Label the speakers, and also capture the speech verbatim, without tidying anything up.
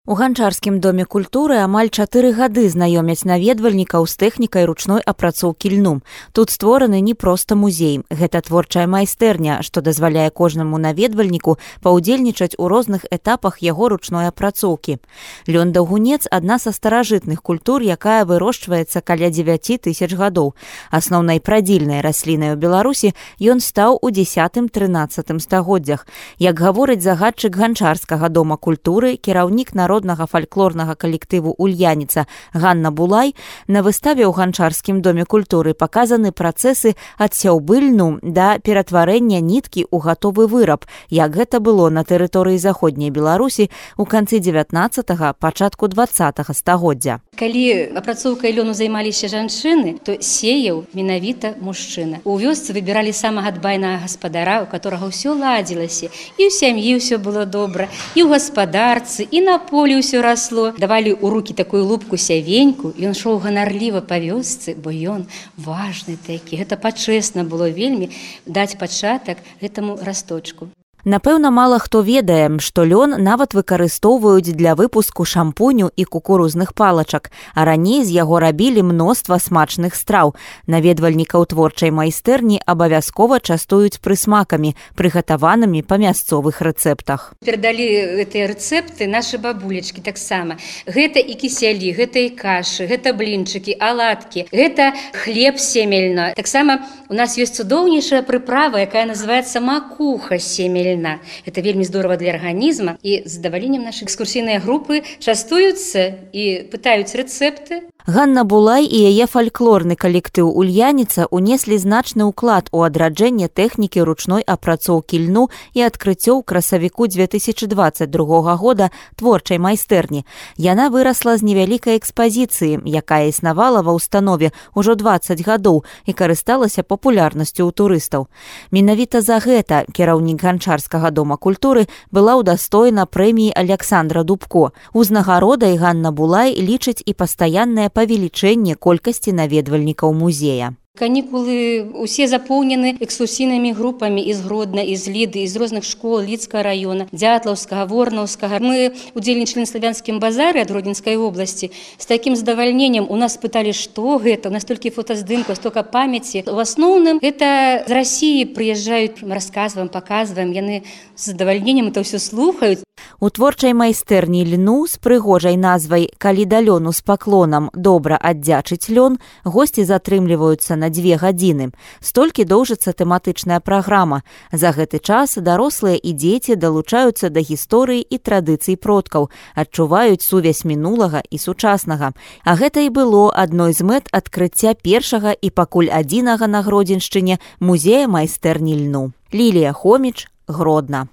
Speaker 1: У ганчарскім доме культуры амаль чатыры гады знаёмяць наведвальнікаў з тэхнікай ручной апрацоўкі льну. Тут створаны не проста музей. Гэта творчая майстэрня, што дазваляе кожнаму наведвальніку паўдзельнічаць у розных этапах яго ручной апрацоўкі. Лён-даўгунец – адна са старажытных культур, якая вырошчваецца каля дзевяці тысяч гадоў. Асноўнай прадзільнай раслінай у Беларусі ён стаў у дзесятым-трынаццатым стагоддзях. Як гаворыць загадчык ганчарскага дома культуры, кіраўнік народнага фальклорнага калектыву «Ульяніца» Ганна Булай, на выставе ў ганчарскім доме культуры паказаны працэсы ад сяўбы льну да ператварэння ніткі ў гатовы выраб, як гэта было на тэрыторыі заходняй Беларусі ў канцы дзевятнаццатага, пачатку дваццатага стагоддзя.
Speaker 2: Калі апрацоўкай лёну займаліся жанчыны, то сеяў менавіта мужчына. У вёсцы выбіралі самага дбайнага гаспадара, у которага ўсё ладзілася, і ў сям'і ўсё было добра, і ў гаспадарцы, і на полі ўсё расло. Давалі ў рукі такую лупку сявеньку, ён шоў ганарліва па вёсцы, бо ён важны такі. Гэта пачэсна было вельмі даць пачатак гэтаму расточку.
Speaker 1: Напэўна, мала хто ведае, што лён нават выкарыстоўваюць для выпуску шампуню і кукурузных палачак, а раней з яго рабілі мноства смачных страў. Наведвальнікаў творчай майстэрні абавязкова частуюць прысмакамі, прыгатаванымі па мясцовых рэцэптах.
Speaker 2: Перадалі гэтыя рэцэпты нашы бабулечкі таксама. Гэта і кісялі, гэта і кашы, гэта блінчыкі, аладкі, гэта хлеб семельна. Таксама у нас ёсць цудоўнейшая прыправа, якая называецца макуха семельна. Это вельмі здорова для арганізма, і з задаваленнем нашы экскурсійныя групы частуюцца і пытаюць рэцэпты.
Speaker 1: Ганна Булай і яе фальклорны калектыў «Ульяніца» унеслі значны ўклад у адраджэнне тэхнікі ручной апрацоўкі льну і адкрыццё ў красавіку дзве тысячы дваццаць другога года творчай майстэрні. Яна вырасла з невялікай экспазіцыі, якая існавала ва ўстанове ўжо дваццаць гадоў і карысталася папулярнасцю ў турыстаў. Менавіта за гэта кіраўнік ганчарскага дома культуры была ўдастоена прэміі Аляксандра Дубко. Узнагародай Ганна Булай лічыць і пастаяннае павелічэнне колькасці наведвальнікаў музея.
Speaker 2: Канікулы усе запоўнены экскурсійнымі групамі з Гродна, з Ліды, з розных школ Лідскага района, Дзятлаўскага, Ворнаўскага. Мы удзельнічалі на славянскім базары ад Гродненскай обласці. З такім задавальненнем у нас пыталі, што гэта, у нас толькі фотаздымка, столько памяці. У асноўным гэта з Расіі прыязджаюць, расказваем, паказваем, яны з задавальненнем это ўсё слухаюць.
Speaker 1: У творчай майстэрні льну з прыгожай назвай «Калі да лёну з паклонам добра аддзячыць лён» госці затрымліваюцца на дзве гадзіны. Столькі доўжыцца тэматычная праграма. За гэты час дарослыя і дзеці далучаюцца да гісторыі і традыцый продкаў, адчуваюць сувязь мінулага і сучаснага. А гэта і было адной з мэт адкрыцця першага і пакуль адзінага на Гродзеншчыне музея майстэрні льну. Лілія Хоміч, Гродна.